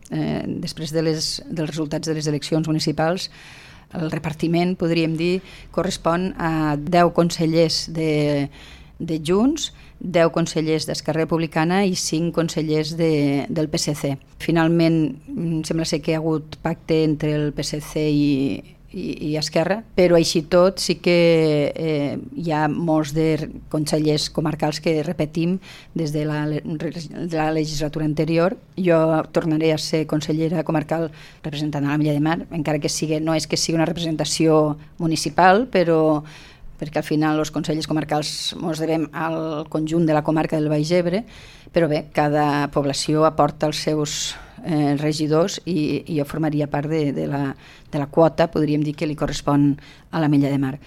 Després dels resultats de les eleccions municipals, el repartiment, podríem dir, correspon a 10 consellers de Junts, 10 consellers d'Esquerra Republicana i 5 consellers del PSC. Finalment, sembla ser que hi ha hagut pacte entre el PSC i Esquerra, però així tot sí que hi ha molts de consellers comarcals que repetim des de la legislatura anterior. Jo tornaré a ser consellera comarcal representant a l'Ametlla de Mar, encara que no és que sigui una representació municipal, però perquè al final els consells comarcals ens devem al conjunt de la comarca del Baix Ebre, però bé, cada població aporta els seus regidors i jo formaria part de la quota, podríem dir, que li correspon a l'Ametlla de Mar.